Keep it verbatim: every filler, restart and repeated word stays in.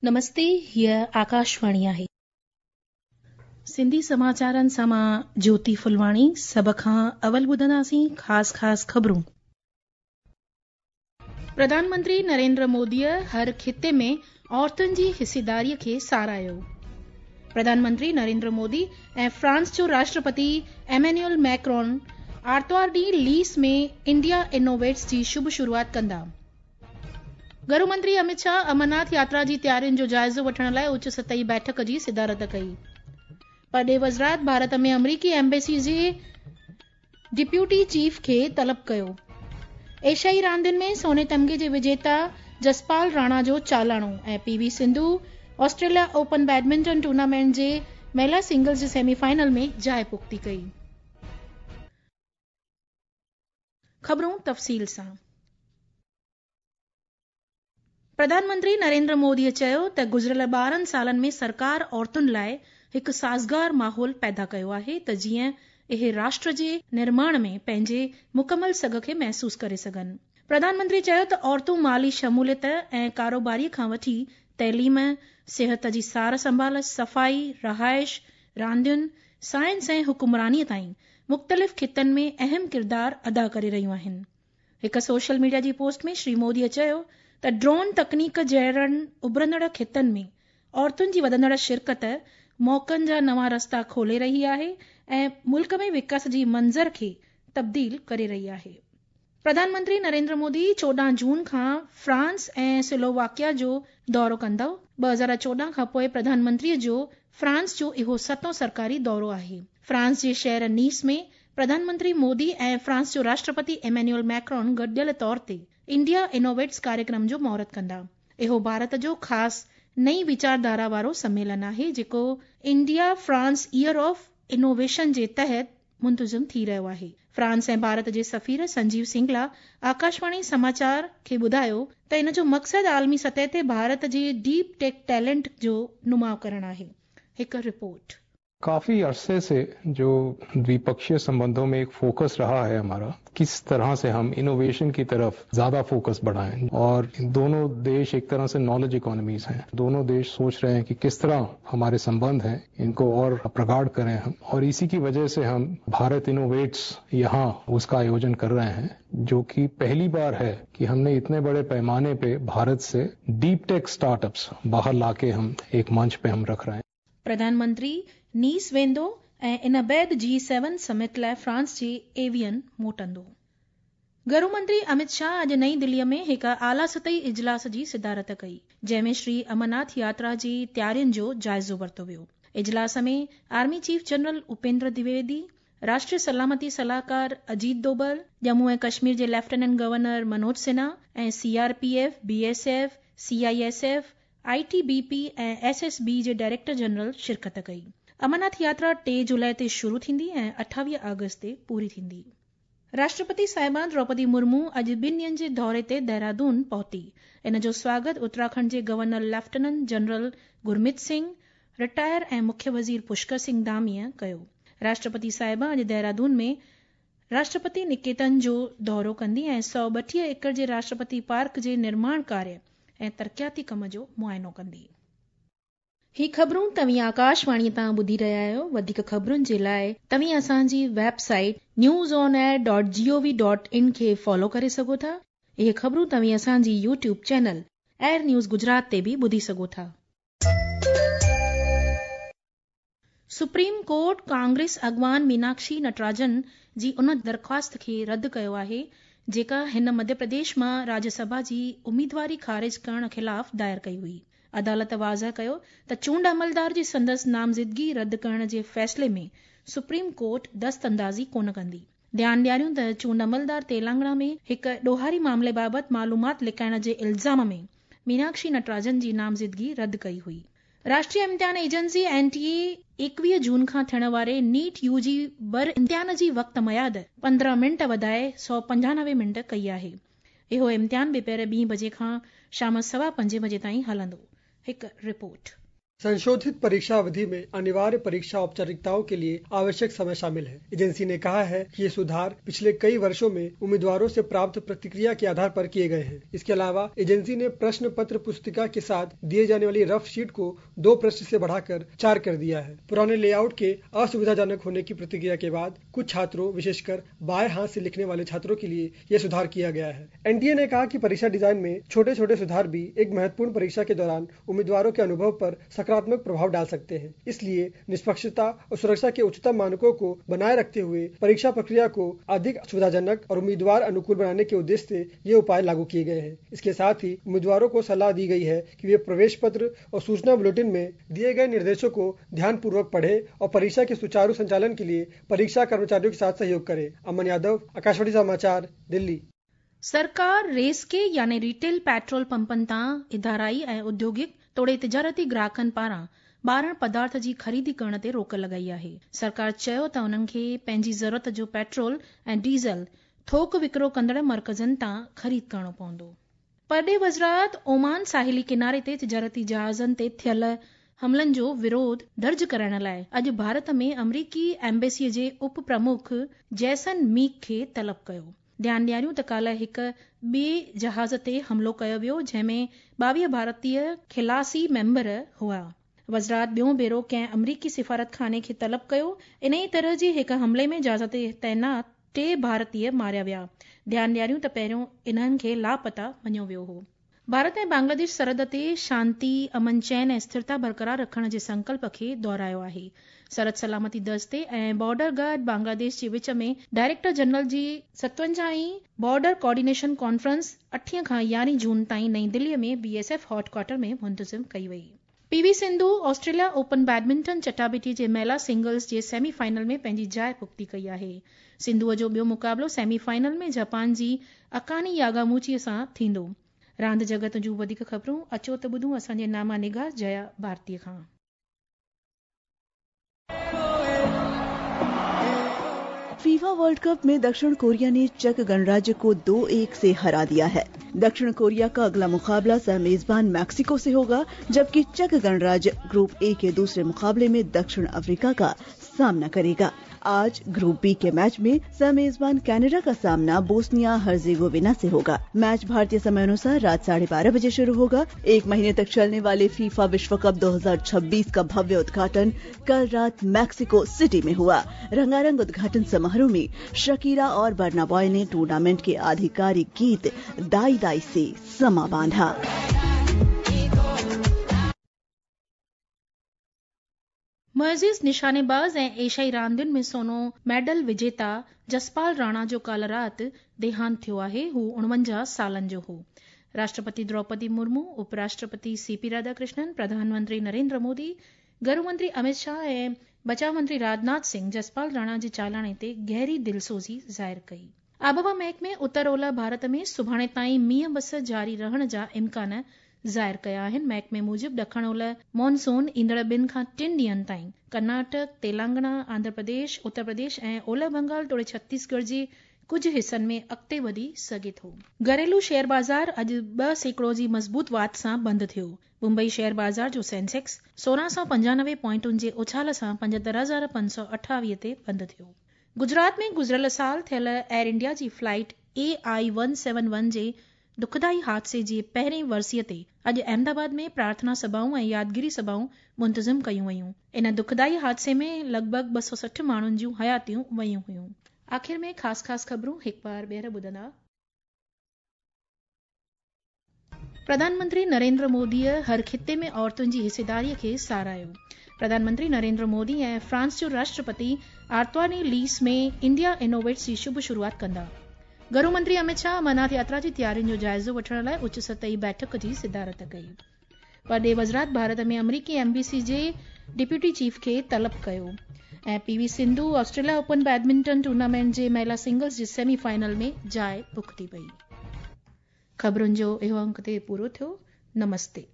نمستي، هيء آڪاشواڻي آهي. سنڌي سماچارن سان مان جيوتي ڦلواڻي. سڀ کان اول ٻڌنداسين خاص خاص خبرون. پرڌان منتري نريندر موديء هر خطي ۾ عورتن جي حصيداريء کي ساراهيو. پرڌان منتري نريندر مودي ۽ فرانس جو راشٽرپتي ايمينيول ميڪرون آرتوار ڏينهن ليس ۾ انڊيا انوويٽس جي شڀ شروعات ڪندا. گهرو منتري امت شاهه امرناٿ ياترا جي تيارين جو جائزو وٺڻ لاء اچ سطحي بيٺڪ جي صدارت ڪئي. پرڏيهه وزارت ڀارت ۾ آمريڪي ايمبيسي جي ڊپٽي چيف کي طلب ڪيو. ايشيائي راندين ۾ سوني تمغي جي وجيتا جسپال راڻا جو چالاڻو ۽ P V Sindhu Australia open badminton tournament جي مهلا سنگلز جي سيمي فائنل ۾ جاء پختي ڪئي. خبرون تفصيل سان. پرڌان منتري نريندر موديء چيو ته گذريل ٻارهن سالن ۾ سرڪار عورتن لاء هڪ سازگار ماحول پيدا ڪيو آهي ته جيئن اهي راشٽر جي نرماڻ ۾ پنهنجي مڪمل سگهه کي محسوس ڪري سگهن. پرڌان منتري چيو ته عورتون مالي شموليت ۽ ڪاروباري کان وٺي تعليم، صحت جي سار سنڀال، صفائي، رهائش، راندين، سائنس ۽ حڪمرانيء تائين مختلف خطن ۾ اهم ڪردار ادا ڪري رهيون آهن. هڪ سوشل ميڊيا جي پوسٽ ۾ شري موديء چيو ته ڊرون تڪنيڪ جهڙن اڀرندڙ خطن ۾ عورتن جي وڌندڙ شرڪت موقعن جا نوان رستا کولي رهي آهي ۽ ملڪ ۾ وڪاس جي منظر کي تبديل ڪري رهي آهي. پرڌان منتري نريندر مودي چوڏهن جون کان فرانس ۽ سلوواڪيا جو دورو ڪندو. ٻه هزار چوڏهن کان پوء پرڌان منتريء جو فرانس جو اهو ستون سرڪاري دورو آهي. فرانس جي شهر نيس ۾ پرڌان منتري مودي ۽ فرانس جو راشٽرپتي ايمينيول ميڪرون گڏيل طور تي انڊيا انوويٽس ڪاريڪرم جو مهورت ڪندا. اهو ڀارت جو خاص نئين ويچارڌارا وارو سميلن آهي، جيڪو India France year of innovation جي تحت منتظم ٿي رهيو آهي. فرانس ۽ ڀارت جي سفير سنجيو سنگلا آڪاشواڻي سماچار کي ٻڌايو ته ان جو مقصد عالمي سطح تي ڀارت جي ڊيپ ٽيڪ ٽيلنٽ جو نماءُ ڪرڻ آهي. هڪ رپورٽ. काफी अरसे से जो द्विपक्षीय संबंधों में एक फोकस रहा है हमारा, किस तरह से हम इनोवेशन की तरफ ज्यादा फोकस बढ़ाएं, और दोनों देश एक तरह से नॉलेज इकोनॉमीज हैं। दोनों देश सोच रहे हैं कि किस तरह हमारे संबंध हैं इनको और प्रगाढ़ करें हम, और इसी की वजह से हम भारत इनोवेट्स यहाँ उसका आयोजन कर रहे हैं, जो कि पहली बार है कि हमने इतने बड़े पैमाने पे भारत से डीप टेक स्टार्टअप्स बाहर लाके हम एक मंच पे हम रख रहे हैं। प्रधानमंत्री नीस वेंदो ऐं इन बाद जी सेवन समिट लाइ फ्रांस जे एवियन मोटंदो। गृह मंत्री अमित शाह अॼु नई दिल्लीअ में हिकु आला सतही इजलास जी सिदारत कई, जंहिं में श्री अमरनाथ यात्रा जी तयारियुनि जो जाइज़ो वरितो वियो। इजलास में army chief general Upendra Dwivedi, राष्ट्रीय सलामती सलाहकार अजीत डोभल, जम्मू ऐं कश्मीर जे लेफ्टिनेंट गवर्नर मनोज सिन्हा ऐं सीआरपीएफ, बीएसएफ, सीआईएसएफ, आईटीबीपी ऐं एसएसबी जे डायरेक्टर जनरल शिरकत कई। अमरनाथ यात्रा टे जुलाई ते शुरू थींदी ऐं अठावीह अगस्त ते पूरी थींदी। राष्ट्रपति साहिबा द्रौपदी मुर्मू अॼु ॿिनि ॾींहनि जे दौरे ते देहरादून पहुती। इन जो स्वागत उत्तराखंड जे governor lieutenant general Gurmeet Singh retire ऐं मुख्य वज़ीर पुष्कर सिंह धामीअ कयो। राष्ट्रपति साहिबा अॼु देहरादून में राष्ट्रपति निकेतन जो दौरो कंदी ऐं सौ ॿटीह एकड़ जे राष्ट्रपति पार्क जे निर्माण कार्य ऐं तरक़ियाती कम जो मुआइनो कंदी। ही ख़बरूं तव्हीं आकाशवाणीअ तां ॿुधी रहिया आहियो। वधीक ख़बरुनि जे लाइ तव्हीं असांजी website news on air dot gov dot in खे फॉलो करे सघो था। इहे ख़बरूं तव्हीं असांजी YouTube channel air news Gujarat ते बि ॿुधी सघो था। सुप्रीम कोर्ट कांग्रेस अॻवान मीनाक्षी नटराजन जी उन दरख़्वास्त खे रद्द कयो आहे जेका हिन मध्य प्रदेश मां राज्यसभा जी उम्मीदवारी ख़ारिज करण ख़िलाफ़ दायर कई हुई। अदालत वाज़ह कयो त चूंड अमलदार जी संदसि नामज़दगी रद्द करण जे फ़ैसिले में सुप्रीम कोर्ट दस्त अंदाज़ी कोन कंदी। ध्यानु ॾियारियूं त चूंड अमलदार तेलंगाना में हिकु ॾोहारी मामले बाबति मालूमात लिकाइण जे इल्ज़ाम में मीनाक्षी नटराजन जी नामज़दगी रद्द कई हुई। राष्ट्रीय इम्तिहान एजेंसी एनटीए एकवीह जून खां थियण वारे नीट यूजी बर इम्तिहान जी वक़्त मयाद पंद्रहं मिंट वधाए सौ पंजानवे मिंट कई आहे। इहो इम्तिहान ॿिपहर ॿी बजे खां शाम सवा पंजे बजे ताईं हलंदो। हिकु रिपोर्ट। संशोधित परीक्षा अवधि में अनिवार्य परीक्षा औपचारिकताओं के लिए आवश्यक समय शामिल है। एजेंसी ने कहा है कि ये सुधार पिछले कई वर्षों में उम्मीदवारों से प्राप्त प्रतिक्रिया के आधार पर किए गए हैं। इसके अलावा एजेंसी ने प्रश्न पत्र पुस्तिका के साथ दिए जाने वाली रफ शीट को दो प्रश्न से बढ़ाकर चार कर दिया है। पुराने लेआउट के असुविधाजनक होने की प्रतिक्रिया के बाद कुछ छात्रों, विशेषकर बाएं हाथ से लिखने वाले छात्रों के लिए यह सुधार किया गया है। एनटीए ने कहा कि परीक्षा डिजाइन में छोटे छोटे सुधार भी एक महत्वपूर्ण परीक्षा के दौरान उम्मीदवारों के अनुभव पर सकारात्मक प्रभाव डाल सकते हैं। इसलिए निष्पक्षता और सुरक्षा के उच्चतम मानकों को बनाए रखते हुए परीक्षा प्रक्रिया को अधिक सुविधाजनक और उम्मीदवार अनुकूल बनाने के उद्देश्य से ये उपाय लागू किए गए हैं। इसके साथ ही उम्मीदवारों को सलाह दी गई है कि वे प्रवेश पत्र और सूचना बुलेटिन में दिए गए निर्देशों को ध्यानपूर्वक पढ़ें और परीक्षा के सुचारू संचालन के लिए परीक्षा कर्मचारियों के साथ सहयोग करें। अमन यादव, आकाशवाणी समाचार, दिल्ली। सरकार रेस के यानी रिटेल पेट्रोल पंपनि तां इदाराई ऐं उद्योगिक तोड़े तिजारती ग्राहकनि पारां ॿारण पदार्थ जी ख़रीदी करण ते रोक लॻाई आहे। सरकार चयो त उन्हनि खे पंहिंजी ज़रूरत जो पेट्रोल ऐं डीज़ल थोक विकिरो कंदड़ मर्कज़नि तां ख़रीद करणो पवंदो। परॾेही वज़ारत ओमान साहिली किनारे ते तिजारती जहाज़नि ते थियल हमलनि जो विरोध दर्ज कराइण लाइ अॼु भारत में अमरीकी एम्बेसीअ जे उप प्रमुख जैसन मीक खे तलब कयो। ध्यानु ॾियारियूं त काल्ह हिकु ॿिए जहाज़ ते हमलो कयो वियो जंहिंमें ॿावीह भारतीय खिलासी मेंबर हुआ। वज़ारत ॿियो भेरो कंहिं अमरीकी सिफारत खाने खे तलब कयो। इन ई तरह जे हिकु हमले में जहाज़ ते तैनात टे भारतीय मारिया विया। ध्यानु ॾियारियूं त पहिरियों इन्हनि खे लापता मञियो वियो हो। भारत ऐं बांग्लादेश सरहद ते शांति, अमन चैन ऐं स्थिरता बरक़रार रखण जे संकल्प खे दोहरायो आहे। सरहद सलामती दस्ते ऐं बॉर्डर गार्ड बांग्लादेश जे विच में डायरेक्टर जनरल जी सतवंजाह बॉर्डर कोऑर्डिनेशन कॉन्फ्रेंस अठीह खां यारहीं जून ताईं नई दिल्लीअ में बीएसएफ हेडक्वार्टर में मुंतज़िम कई वई। PV Sindhu Australia open badminton चटाबिटी जे महिला सिंगल्स जे सेमी फाइनल में पंहिंजी जाइ पुख़्ती कई आहे। सिंधूअ जो ॿियो मुक़ाबिलो सेमी फाइनल में जापान जी अकानी यागामूचीअ सां थींदो। रांदि जगत जूं वधीक ख़बरूं अचो त ॿुधूं असांजे नामा निगार जया भारती खां। फीफा वर्ल्ड कप में दक्षिण कोरिया ने चेक गणराज्य को दो एक से हरा दिया है। दक्षिण कोरिया का अगला मुकाबला सह मेजबान मैक्सिको से होगा, जबकि चेक गणराज्य ग्रुप ए के दूसरे मुकाबले में दक्षिण अफ्रीका का सामना करेगा। आज ग्रुप बी के मैच में सह मेजबान कनाडा का सामना बोस्निया हर्जेगोविना से होगा। मैच भारतीय समय अनुसार रात साढ़े बारह बजे शुरू होगा। एक महीने तक चलने वाले फीफा विश्व कप दो हजार छब्बीस का भव्य उद्घाटन कल रात मैक्सिको सिटी में हुआ। रंगारंग उद्घाटन समारोह में शकीरा और बर्ना बॉय ने टूर्नामेंट के आधिकारिक गीत दाई दाई से समा बांधा। मुअज़िज़ निशानेबाज़ ऐं एशियाई रांदियुनि में सोनो मेडल विजेता जसपाल राणा जो काल्ह राति देहांत थियो आहे। हू उणवंजाह सालनि जो हो। राष्ट्रपति द्रौपदी मुर्मू, उपराष्ट्रपति सीपी राधाकृष्णन, प्रधानमंत्री नरेंद्र मोदी, गृह मंत्री अमित शाह ऐं बचाव मंत्री राजनाथ सिंह जसपाल राणा जे चालाणे ते गहरी दिलसोज़ी ज़ाहिर कई। आबहवा महकमे उत्तर ओलह भारत में सुभाणे ताईं मींहं बस जारी रहण जा इम्कान ज़ाहिर कया आहिनि। महकमे मूजिबि ॾखण ओलह मॉनसून ईंदड़ ॿिनि खां टिनि ॾींहनि ताईं कर्नाटक, तेलंगाना, आंध्र प्रदेश, उत्तर प्रदेश ऐं ओलह बंगाल तोड़े छत्तीसगढ़ जे कुझु हिसनि में अॻिते वधी सघे थो। घरेलू शेयर बाज़ार अॼु ॿ सैकड़ो जी मज़बूत वाध सां बंदि थियो। मुंबई शेयर बाज़ार जो सेंसेक्स सोरहं सौ पंजानवे पॉइंटुनि जे उछाल सां पंजहतरि हज़ार पंज सौ अठावीह ते बंदि थियो। गुजरात में गुज़िरियल साल थियल एयर इंडिया जी flight A I one seven one जे दुखदाई हादसे जे पहिरीं वरसीअ ते अॼु अहमदाबाद में प्रार्थना सभाऊं ऐं यादगिरी सभाऊं मुंतज़िम कयूं वयूं। इन दुखदाई हादसे में लॻभॻ ॿ सौ सठि माण्हुनि जूं हयातियूं वयूं हुयूं। आख़िर में ख़ासि ख़ासि ख़बरूं हिकु बार ॿीहर ॿुधंदा। प्रधानमंत्री नरेंद्र मोदीअ हर खिते में औरतुनि जी हिस्सेदारीअ खे सराहियो। प्रधानमंत्री नरेंद्र मोदी ऐं फ्रांस जो राष्ट्रपति आर्तवानी लीस में इंडिया इनोवेट्स जी शुभ शुरूआत कंदा। गृह मंत्री अमित शाह अमरनाथ यात्रा जी तयारियुनि जो जाइज़ो वठण लाइ उच्च सतही बैठक जी सदारत कई। परॾेही वज़ारत भारत में अमरीकी एम्बेसी जे डिप्यूटी चीफ खे तलब कयो। ऐं PV Sindhu Australia open badminton tournament जे महिला सिंगल्स जे सेमी फाइनल में जाइ पुख़्ती पई। ख़बरुनि जो इहो अंक ते पूरो थियो। नमस्ते।